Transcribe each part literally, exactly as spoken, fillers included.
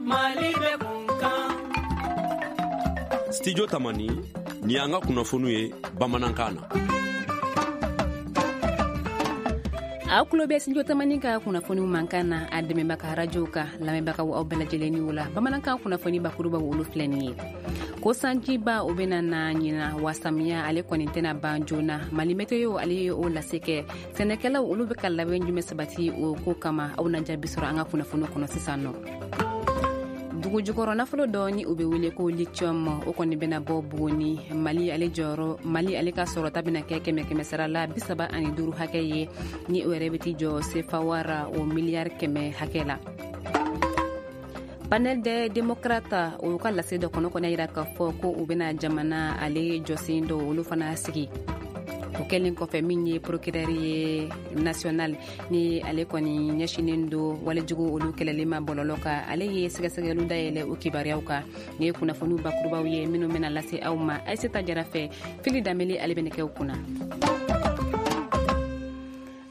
Mali bɛ kunkan. Studio Tamani ni y'an ka kunnafoniw ye bamanankan na. Aw tulo bɛ Studio Tamani ka kunnafoniw mankan na, a dɛmɛbaga arajow ka lamɛnbagaw, aw bɛɛ lajɛlen ni la. Bamanankan kunnafoni bakurubaw, olu filɛ nin ye: ko sanjiba o bɛna na ɲina, wa samiya ale kɔni tɛna ban joona. Mali Meteo ale ye o lase kɛ. Sɛnɛkɛlaw olu bɛ ka labɛn jumɛn sabati o ko kama? Aw na jaabi sɔrɔ an ka kunnafoni kɔnɔ sisan nɔ. Dugu jukɔrɔ nafolo dɔ ni o bɛ wele ko lithium, o kɔni bɛna bɔ Buguni. Mali ale jɔyɔrɔ, Mali ale ka sɔrɔta bɛna kɛ kɛmɛ kɛmɛ sara la bi saba ani duuru hakɛ ye, ni o yɛrɛ bɛ t'i jɔ sefa wara o miliyari kɛmɛ hakɛ la. Panel des démocrates o ka lase dɔ kɔnɔ kɔni yira k'a fɔ ko u bɛna jamana ale jɔsen dɔ olu fana sigi. O kɛlen kɔfɛ, min ye procureur ye national ni ale kɔni ɲɛsinen do walejugu olu kɛlɛli ma bɔlɔlɔ kan, ale ye sɛgɛsɛgɛliw dayɛlɛ o kibaruyaw kan. Nin ye kunnafoniw bakurubaw ye minnu bɛna lase aw ma Ayiseta Jara fɛ. Fili Danbele ale bɛ kɛw kunna.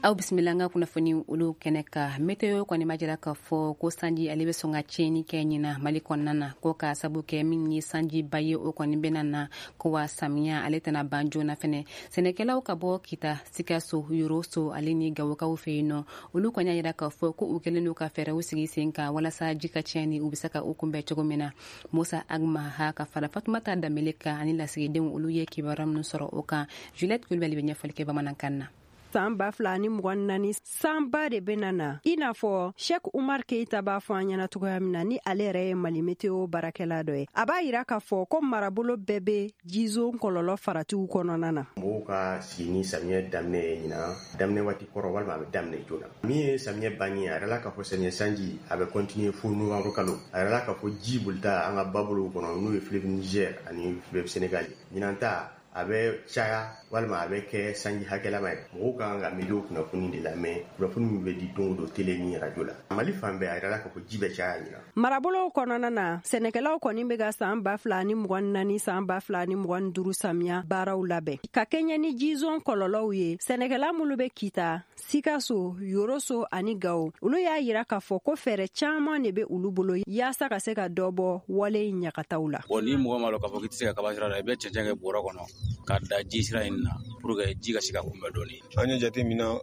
Aw bisimila an ka kunnafoni olu kɛnɛ kan. Meteo kɔni ma jira k'a fɔ ko sanji ale bɛ sɔn ka tiɲɛni kɛ ɲina Mali kɔnɔna na, ko k'a sabu kɛ min ye sanjiba ye, o kɔni bɛna na, ko wa samiya ale tɛna ban joona fɛnɛ. Sɛnɛkɛlaw ka bɔ Kita, Sikaso, Yoroso ale ni Gawokaw fɛ yen nɔ, olu kɔni y'a jira k'a fɔ ko u kɛlen don ka fɛɛrɛw sigi sen kan walasa ji ka tiɲɛni u bɛ se ka u kunbɛn cogo min na. Musa Agmaha ka fara Fatumata Danbele kan ani lasigidenw, olu ye kibaruya minnu sɔrɔ o kan, Juliette Kulibali bɛ ɲɛfɔli kɛ bamanankan na. San ba fila ni mugan naani, sanba de bena na, i n'a fɔ Shek Umar Keita b'a fɔ an ɲɛna cogoya min na, ni ale yɛrɛ ye Mali Meteo baarakɛla dɔ ye. A b'a yira k'a fɔ ko marabolo bɛɛ be jizo kɔlɔlɔ faratiw kɔnɔna na. Mɔgɔw ka sigi ni samiyɛ daminɛ ye ɲinan daminɛ waati kɔrɔ walima a bɛ daminɛ joona. Min ye samiyɛ banni ye, a yɛrɛla k'a fɔ samiyɛ sanji a bɛ continuer fo novembre kalo. A yɛrɛla k'a fɔ ji bolita an ka babolow kɔnɔ, n'o ye fleuve Niger ani fleuve Sénégal ye, ɲinan ta a bɛ caya walima a bɛ kɛ sanji hakɛlama ye. Mɔgɔw ka kan ka météo kunnafoni de lamɛn, kunnafoni min bɛ di don o don télé ni radio la. Mali fan bɛɛ, a yɛrɛla k'a fɔ ji bɛ caya ɲinan. Marabolow kɔnɔna na, sɛnɛkɛlaw kɔni bɛ ka san ba fila ni mugan naani, san ba fila ni mugan duuru samiya baaraw labɛn ka kɛɲɛ ni jizon kɔlɔlɔw ye. Sɛnɛkɛla minnu bɛ Kita, Sikaso, Yoroso ani Gawo, olu y'a yira k'a fɔ ko fɛɛrɛ caaman de bɛ olu bolo yaasa ka se ka dɔ bɔ wale in ɲagataw la. Bon, ni mɔgɔ ma lɔn k'a fɔ k'i tɛ se ka kaba sira la, i bɛ cɛncɛn kɛ bɔrɔ kɔnɔ ka da ji sira in na pour que ji ka se ka kunbɛ dɔɔni. An ye jate min na,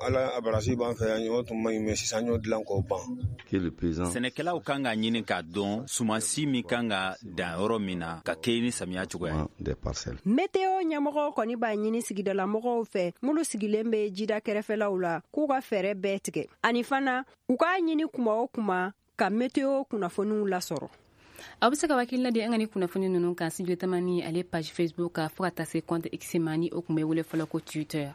ala a barasi b'an fɛ yan, o tun man ɲi, mɛ sisan an y'o dilan k'o ban. Sɛnɛkɛlaw kan ka ɲini k'a dɔn sumansi min kan ka dan yɔrɔ min na ka kɛ ni samiya cogoya ye. Meteo ɲɛmɔgɔw kɔni b'a ɲini sigidalamɔgɔw fɛ minnu sigilen bɛ jida kɛrɛfɛlaw la, k'u ka fɛɛrɛ bɛɛ tigɛ, ani fana u k'a ɲini kuma o kuma ka meteo kunnafoniw lasɔrɔ. Aw bɛ se ka hakilina di an ka ni kunnafoni ninnu kan Studio Tamani ale page Facebook kan, fo ka taa se compte X ma, ni o tun bɛ wele fɔlɔ ko Twitter.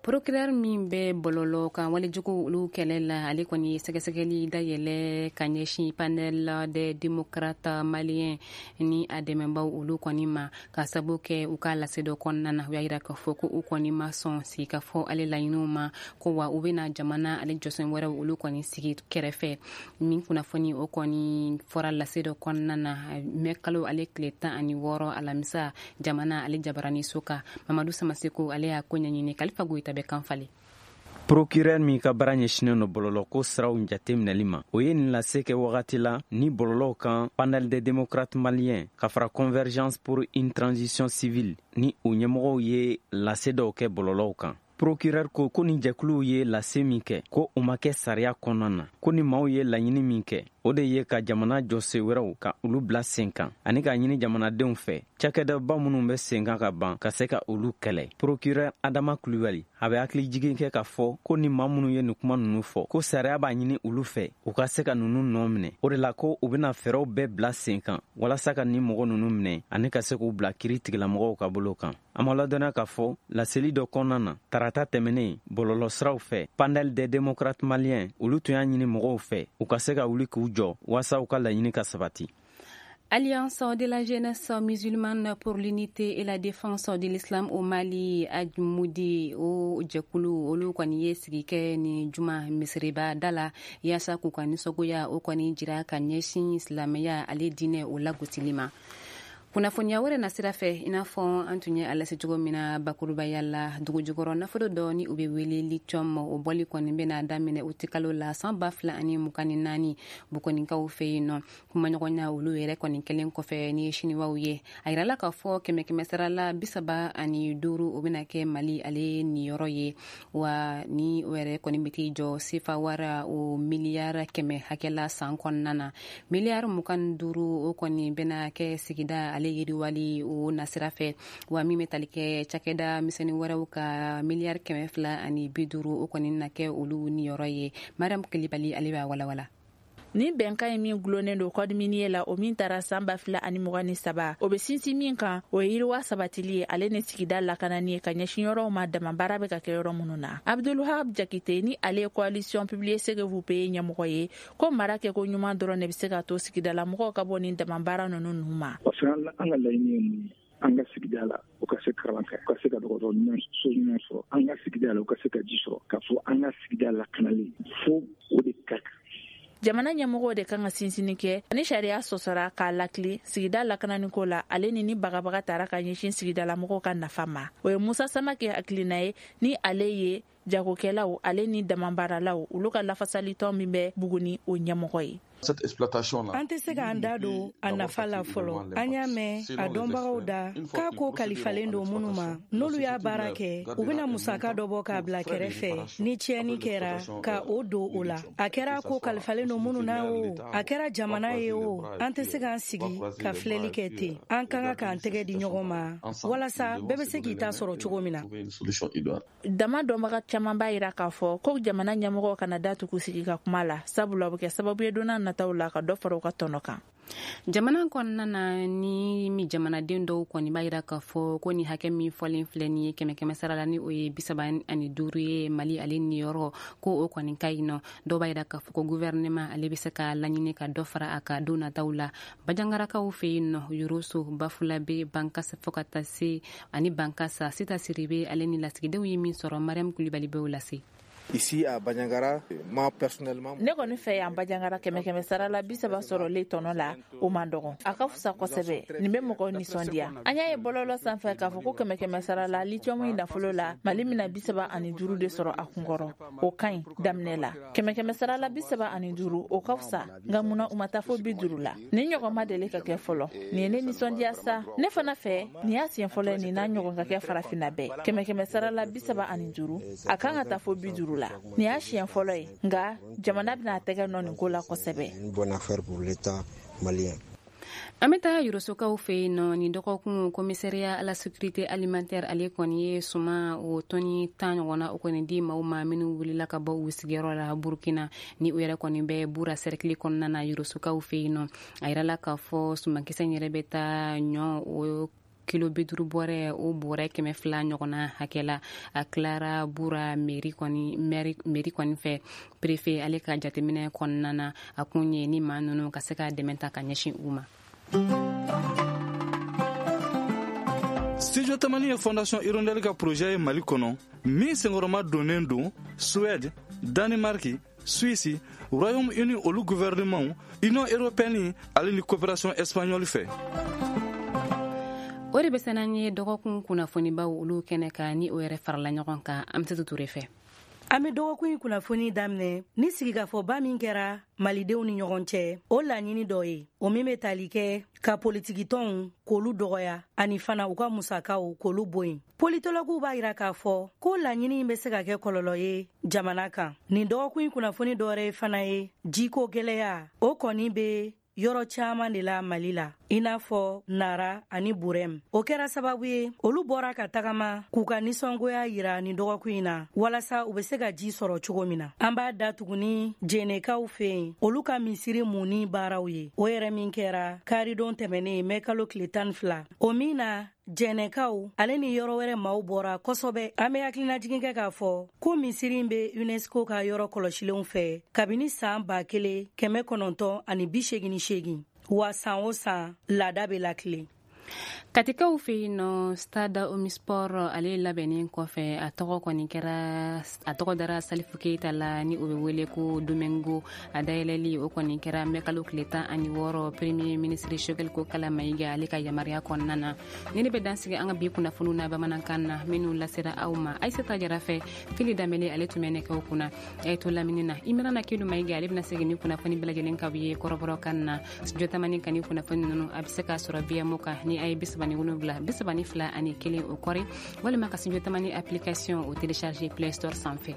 Procureur min bɛ bɔlɔlɔ kan walejugu olu kɛlɛ la, ale kɔni ye sɛgɛsɛgɛli dayɛlɛ ka ɲɛsin Panel des démocrates maliens ni a dɛmɛbaw olu kɔni ma, ka sabu kɛ u ka lase dɔ kɔnɔna na, u y'a yira k'a fɔ ko u kɔni ma sɔn sigikafɔ ale laɲiniw ma, ko wa u bɛna jamana ale jɔsen wɛrɛw olu kɔni sigi kɛrɛfɛ. Min kunnafoni o kɔni fɔra lase dɔ kɔnɔna na mɛ kalo ale tile tan ani wɔɔrɔ, alamisa, jamana ale jabaraniso kan. Mamadu Samaseko ale y'a ko ɲɛɲini. Kalifa Goyita bɛ kan falen. Procureur min ka baara ɲɛsinen no bɔlɔlɔko siraw jateminɛli ma, o ye nin lase kɛ wagati la ni bɔlɔlɔw kan Panel des démocrates maliens ka fara Convergence pour une transition civile ni o ɲɛmɔgɔw ye lase dɔw kɛ bɔlɔlɔw kan. Procureur ko ko nin jɛkuluw ye lase min kɛ, ko o ma kɛ sariya kɔnɔna na, ko ni maaw ye laɲini min kɛ, o de ye ka jamana jɔse wɛrɛw ka olu bila sen kan ani k'a ɲini jamanadenw fɛ cakɛdaba minnu bɛ sen kan ka ban ka se ka olu kɛlɛ. Procureur Adama Kulubali a bɛ hakili jigin kɛ k'a fɔ ko ni maa minnu ye nin kuma ninnu fɔ, ko sariya b'a ɲini olu fɛ u ka se ka ninnu nɔ minɛ. O de la ko u bɛna fɛɛrɛw bɛɛ bila sen kan walasa ka nin mɔgɔ ninnu minɛ ani ka se k'u bila kiri tigilamɔgɔw ka bolo kan. A ma ladɔnniya k'a fɔ laseli dɔ kɔnɔna na tarata tɛmɛnen bɔlɔlɔsiraw fɛ, Panel des démocrates maliens olu tun y'a ɲini mɔgɔw fɛ u ka se ka wuli k'u jɔ waasa u ka laɲini ka sabati. Alliance de la jeunesse musulmane pour l'unité et la défense de l'islam au Mali, Ajmudi, o jɛkulu olu kɔni ye sigi kɛ ni juma misiriba da la yaasa k'u ka nisɔngoya o kɔni jira ka ɲɛsin silamɛya ale diinɛ o lagosili ma. Kunnafoniya wɛrɛ nasira fɛ, i n'a fɔ an tun ye a lase cogo min na bakurubaya la, dugujukɔrɔ nafolo dɔ ni u bɛ wele lithium, o bɔli kɔni bɛna daminɛ utikalo la san ba fila ani mugan ni naani Bukonikaw fɛ yen nɔ. Kumaɲɔgɔnya olu yɛrɛ kɔni kɛlen kɔfɛ ni ye siniwaw ye, a yirala k'a fɔ kɛmɛ kɛmɛ sara la bi saba ani duuru o bɛna kɛ Mali ale niyɔrɔ ye, wa ni o yɛrɛ kɔni bɛ t'i jɔ sefa wara o miliyari kɛmɛ hakɛ la san kɔnɔna na. Miliyari mugan ni duuru o kɔni bɛna kɛ sigida ale yiriwali o nasira fɛ, wa min bɛ tali kɛ cakɛda misɛnnin wɛrɛw ka miliyari kɛmɛ fila ani bi duuru o kɔni na kɛ olu niyɔrɔ ye. Mariam Kulibali ale b'a walawala. Ni bɛnkan ye min gulonnen don code minier la, o min taara san ba fila ani mugan ni saba, o bɛ sinsin min kan, o ye yiriwa sabatili ye ale ni sigida lakanani ye ka ɲɛsin yɔrɔw ma damabaara bɛ ka kɛ yɔrɔ minnu na. Abdulwahab Jakite ni ale ye coalition Publiez ce que vous payez ɲɛmɔgɔ ye, ko mara kɛko ɲuman dɔrɔn de bɛ se ka to sigidala mɔgɔw ka bɔ nin damabaara ninnu ninnu ma. Parce que an ka laɲini ye mun ye? An ka sigida la, u ka se kalan kɛ, u ka se ka dɔgɔtɔrɔ ɲuman so ɲuman sɔrɔ, an ka sigida la, u ka se ka ji sɔrɔ, k'a fɔ an ka sigida lakanalen fo o de ka kan. Jamana ɲɛmɔgɔw de kan ka sinsinni kɛ ni sariya sɔsɔra k'a lakile sigida lakananiko la, ale ni ni bagabaga tara ka ɲɛsin sigidalamɔgɔw ka nafa ma. O ye Musa Samake hakilina ye, ni ale ye jagokɛlaw ale ni damabaaralaw olu ka lafasalitɔn min bɛ Buguni o ɲɛmɔgɔ ye. An tɛ se k'an da don a nafa la fɔlɔ. An y'a mɛn a dɔnbagaw da k'a ko kalifalen don minnu ma, n'olu y'a baara kɛ, u bɛna musaka dɔ bɔ k'a bila kɛrɛfɛ ni tiɲɛni kɛra ka o don o la. A kɛra ko kalifalen don minnu na o, a kɛra jamana ye o, an tɛ se k'an sigi ka filɛli kɛ ten. An ka kan k'an tɛgɛ di ɲɔgɔn ma walasa bɛɛ bɛ se k'i ta sɔrɔ cogo min na. Dama dɔnbaga caman b'a yira k'a fɔ ko jamana ɲɛmɔgɔw kana da tugu sigi ka kuma la, sabula o bɛ kɛ sababu ye don n'a nataw la ka dɔ fara u ka tɔnɔ kan. Jamana kɔnɔna na, ni mi jamanaden dɔw kɔni b'a yira k'a fɔ ko ni hakɛ min fɔlen filɛ nin ye kɛmɛ kɛmɛ sara la, ni o ye bi saba ani duuru ye Mali ale niyɔrɔ, ko o kɔni ka ɲi nɔ. Dɔw b'a yira k'a fɔ ko gouvernement ale bɛ se ka laɲini ka dɔ fara a ka don nataw la. Bajangarakaw fɛ yen nɔ, Yoroso, Bafulabe, Bankasa fo ka taa se ani Bankasa, Sita Siribe ale ni lasigidenw ye min sɔrɔ, Mariam Kulibali b'o lase. Ici à Bandiagara, moi personnellement, ne kɔni fɛ yan Bandiagara kɛmɛ kɛmɛ sara la bi saba sɔrɔlen tɔnɔ la, o man dɔgɔn, a ka fisa kosɛbɛ, nin bɛ mɔgɔw nisɔndiya. An y'a ye bɔlɔlɔ sanfɛ k'a fɔ ko kɛmɛ kɛmɛ sara la lithium in nafolo la, Mali bɛna bi saba ani duuru de sɔrɔ a kunkɔrɔ, o ka ɲi daminɛ la. Kɛmɛ kɛmɛ sara la bi saba ani duuru, o ka fisa, nka munna u ma taa fo bi duuru la? Nin ɲɔgɔn ma deli ka kɛ fɔlɔ, nin ye ne nisɔndiya sa. Ne fana fɛ nin y'a siɲɛ fɔlɔ ye nin n'a ɲɔgɔn ka kɛ farafinna bɛɛ. Kɛmɛ kɛmɛ sara la bi saba ani duuru, a kan ka taa fo bi duuru la. Nin y'a siɲɛ fɔlɔ ye, nka jamana bɛna a tɛgɛ nɔ nin ko la kosɛbɛ. An bɛ taa Yorosokaw fɛ yen nɔ. Nin dɔgɔkun, commissariat à la sécurité alimentaire ale kɔni ye suman o tɔni tan ɲɔgɔnna o kɔni di maaw ma minnu wulila ka bɔ u sigiyɔrɔ la Burukina, ni u yɛrɛ kɔni bɛ Bura cercle kɔnɔna na Yorosokaw fɛ yen nɔ. A yirala k'a fɔ sumankisɛ in yɛrɛ bɛ taa ɲɔ o kilo bi duuru bɔrɛ o bɔrɛ kɛmɛ fila ɲɔgɔnna hakɛ la. A tilara Bura mairie kɔni mairie kɔni fɛ, préfet ale ka jateminɛ kɔnɔna na, a kun ye ni maa ninnu ka se ka dɛmɛ ta ka ɲɛsin u ma. Studio Tamani ye Fondation Hirondelle ka projet ye Mali kɔnɔ min senkɔrɔma donnen don Suède, Danemark, Suisse, Royaume-Uni olu gouvernement, Union européenne ale ni coopération espagnole fɛ. O de bɛ se n'an ye dɔgɔkun kunnafonibaw olu kɛnɛ kan, ni o yɛrɛ farala ɲɔgɔn kan Amsatou Touré fɛ. An bɛ dɔgɔkun in kunnafoni daminɛ ni sigikafɔba min kɛra malidenw ni ɲɔgɔn cɛ, o laɲini dɔ ye, o min bɛ tali kɛ ka politikitɔnw k'olu dɔgɔya ani fana u ka musakaw k'olu bɔ yen. Politologuw b'a yira k'a fɔ ko laɲini in bɛ se ka kɛ kɔlɔlɔ ye jamana kan. Nin dɔgɔkun in kunnafoni dɔ wɛrɛ fana ye jiko gɛlɛya, o kɔni bɛ yɔrɔ caman de la Mali la, i n'a fɔ Nara ani Burɛm. O kɛra sababu ye olu bɔra ka tagama k'u ka nisɔngoya yira nin dɔgɔkun in na walasa u bɛ se ka ji sɔrɔ cogo min na. An b'a da tuguni Jɛnɛkaw fɛ yen, olu ka misiri munni baaraw ye, o yɛrɛ min kɛra karidon tɛmɛnen mɛ kalo tile tan ni fila, o min na Jɛnɛkaw ale ni yɔrɔ wɛrɛ maaw bɔra kosɛbɛ. An bɛ hakilinajigin kɛ k'a fɔ ko misiri in bɛ UNESCO ka yɔrɔ kɔlɔsilenw fɛ kabini san ba kelen kɛmɛ kɔnɔntɔn ani bi seegin ni seegin, wa san o san laada bɛ lakile. Katikaw fɛ yen nɔ, Stade Omnisport ale labɛnnen kɔfɛ, a tɔgɔ kɔni kɛra, a tɔgɔ dara Salifu Keyita la, ni o bɛ wele ko Domingo. A dayɛlɛli o kɔni kɛra mɛkalo tile tan ani wɔɔrɔ, premier ministre Choguel Kokalla Maïga ale ka yamaruya kɔnɔna na. Ni ne bɛ dansigi an ka bi kunnafoniw na bamanankan na minnu lasera aw ma Aïssata Jara fɛ, Fili Danbele ale tun bɛ nɛgɛw kunna. A ye to lamini na, Imrana Kelu Maïga ale bɛna segin ni kunnafoni bɛɛ lajɛlen k'aw ye kɔrɔbɔrɔkan na. Studio Tamani kan ni kunnafoni ninnu a bɛ se k'a sɔrɔ V M O kan ni a ye bi saba ni wolonwula bi saba ni fila ani kelen o kɔri, walima ka Studio Tamani application o télécharger Play Store sanfɛ.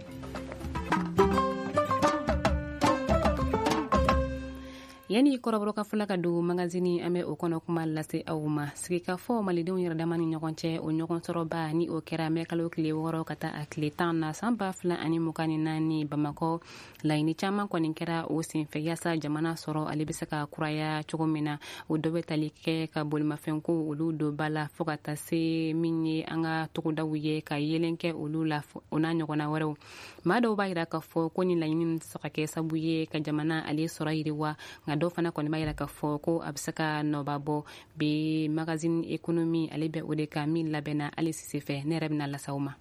Yani kɔrɔbɔrɔkan fɔla ka don magazini, an bɛ o kɔnɔ kuma lase aw ma. Sigikafɔ malidenw yɛrɛ dama ni ɲɔgɔn cɛ, o ɲɔgɔn sɔrɔba ni o kɛra mɛkalo tile wɔɔrɔ ka taa a tile tan na san ba fila ani mugan ni naani Bamakɔ. Laɲini caman kɔni kɛra o senfɛ yaasa jamana sɔrɔ ale bɛ se ka kuraya cogo min na. O dɔ bɛ tali kɛ ka bolimafɛnko olu don ba la, fo ka taa se min ye an ka togodaw ye ka yeelen kɛ olu la, o n'a ɲɔgɔnna wɛrɛw. Maa dɔw b'a yira k'a fɔ ko nin laɲini tɛ se ka kɛ sabu ye ka jamana ale sɔrɔ yiriwa, nka dɔw fana kɔni b'a yira k'a fɔ ko a bɛ se ka nɔba bɔ. Bi magazine économie ale bɛ o de kan min labɛnna hali Sise fɛ, ne yɛrɛ bɛna lase aw ma.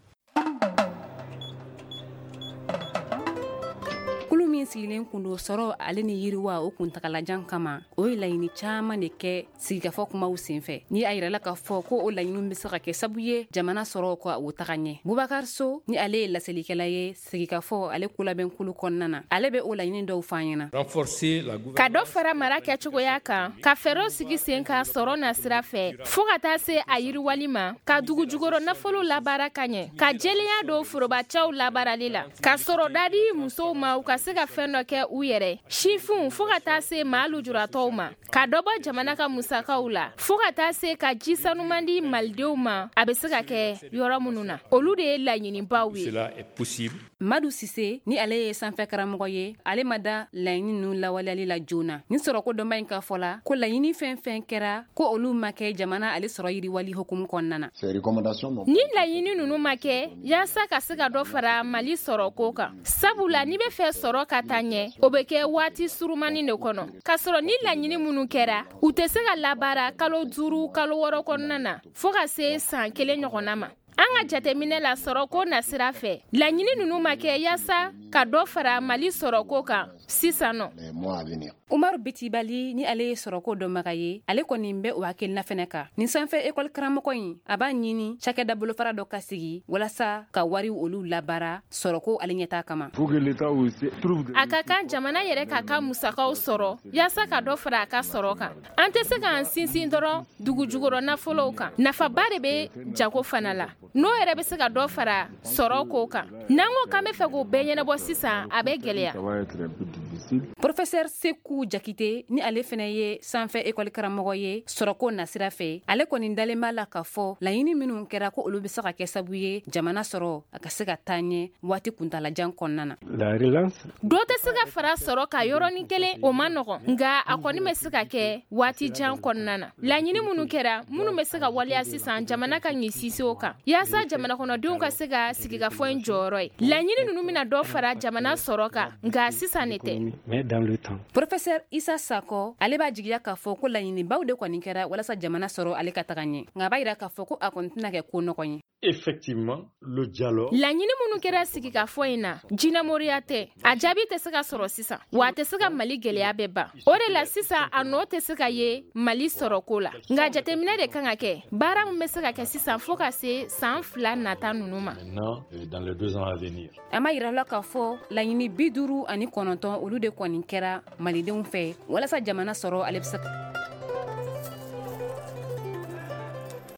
Kulu min sigilen kun don sɔrɔ ale ni yiriwa o kuntagalajan kama, o ye laɲini caman de kɛ sigikafɔ kumaw senfɛ. Ni a yirala k'a fɔ ko o laɲiniw bɛ se ka kɛ sabu ye jamana sɔrɔ ka o taga ɲɛ. Bubakar So ni ale ye laselikɛla ye sigikafɔ ale kolabɛnkulu kɔnɔna na, ale bɛ o laɲini dɔw fɔ an ɲɛna. Ka dɔ fara mara kɛcogoya kan, ka fɛɛrɛw sigi sen kan sɔrɔ na sira fɛ fo ka taa se a yiriwali ma, ka dugu jukɔrɔ nafolo labaara ka ɲɛ, ka jɛlenya don forobacɛw labaarali la, ka sɔrɔda di musow ma u ka se ka fɛn dɔ kɛ u yɛrɛ, sifinw fo ka taa se maa lujuratɔw ma, ka dɔ bɔ jamana ka musakaw la fo ka taa se ka ji sanuman di malidenw ma a bɛ se ka kɛ yɔrɔ minnu na. Olu de ye laɲinibaw ye. Madu Sise ni ale ye sanfɛ karamɔgɔ ye, ale ma da laɲini ninnu lawaleyali la joona. Ni sɔrɔko dɔnba in ka fɔ la ko laɲini fɛn fɛn kɛra ko olu ma kɛ jamana ale sɔrɔ yiriwali hukumu kɔnɔna na. Ni laɲini ninnu ma kɛ yaasa ka se ka dɔ fara Mali sɔrɔko kan, sabula n'i bɛ fɛ sɔrɔ ka taa ɲɛ, o bɛ kɛ waati surumani de kɔnɔ, k'a sɔrɔ ni laɲini minnu kɛra u tɛ se ka labaara kalo duuru kalo wɔɔrɔ kɔnɔna na fo ka se san kelen ɲɔgɔnna ma. An ka jateminɛ la sɔrɔko nasira fɛ, laɲini ninnu ma kɛ yaasa ka dɔ fara Mali sɔrɔko kan sisan nɔ. Umaru Bitibali ni ale ye sɔrɔko dɔnbaga ye, ale kɔni bɛ o hakilina fɛnɛ kan. Nin sanfɛ ekɔli karamɔgɔ in, a b'a ɲini cakɛda bolofara dɔ ka sigi walasa ka wari olu labaara sɔrɔko ale ɲɛtaa kama. A ka kan jamana yɛrɛ k'a ka musakaw sɔrɔ yaasa ka dɔ fara a ka sɔrɔ kan. An tɛ se k'an sinsin dɔrɔn dugu jukɔrɔ nafolow kan, nafaba de bɛ jago fana la, n'o yɛrɛ bɛ se ka dɔ fara sɔrɔ ko kan. N'an ko k'an bɛ fɛ k'o bɛɛ ɲɛnabɔ sisan, a bɛ gɛlɛya. Professeur Seku Jakite ni ale fɛnɛ ye sanfɛ ekɔli karamɔgɔ ye sɔrɔko nasira fɛ, ale kɔni dalen b'a la k'a fɔ laɲini minnu kɛra ko olu bɛ se ka kɛ sabu ye jamana sɔrɔ a ka se ka taa ɲɛ waati kuntalajan kɔnɔna na. Dɔ tɛ se ka fara sɔrɔ ka yɔrɔnin kelen, o man nɔgɔn, nka a kɔni bɛ se ka kɛ waati jan kɔnɔna na. Laɲini minnu kɛra minnu bɛ se ka waleya sisan, jamana ka ɲi sinsin o kan yaasa jamana kɔnɔdenw ka se ka sigikafɔ in jɔyɔrɔ ye. Laɲini ninnu bɛna dɔ fara jamana sɔrɔ kan, nka sisan ne tɛ. Professeur Issa Sako ale b'a jigiya k'a fɔ ko laɲinibaw de kɔni kɛra walasa jamana sɔrɔ ale ka taga ɲɛ, nka a b'a yira k'a fɔ ko a kɔni tɛna kɛ ko nɔgɔ ye. Effectivement, le dialogue. Laɲini minnu kɛra sigikafɔ in na, jinɛmoriya tɛ, a jaabi tɛ se ka sɔrɔ sisan, wa a tɛ se ka Mali gɛlɛya bɛɛ ban. O de la sisan a nɔ tɛ se ka ye Mali sɔrɔko la, nka jateminɛ de kan ka kɛ, baara min bɛ se ka kɛ sisan fo ka se san fila nata ninnu ma. An b'a yira la k'a fɔ laɲini bi duuru ani kɔnɔntɔn olu de kɔni kɛra malidenw fɛ walasa jamana sɔrɔ ale bɛ se.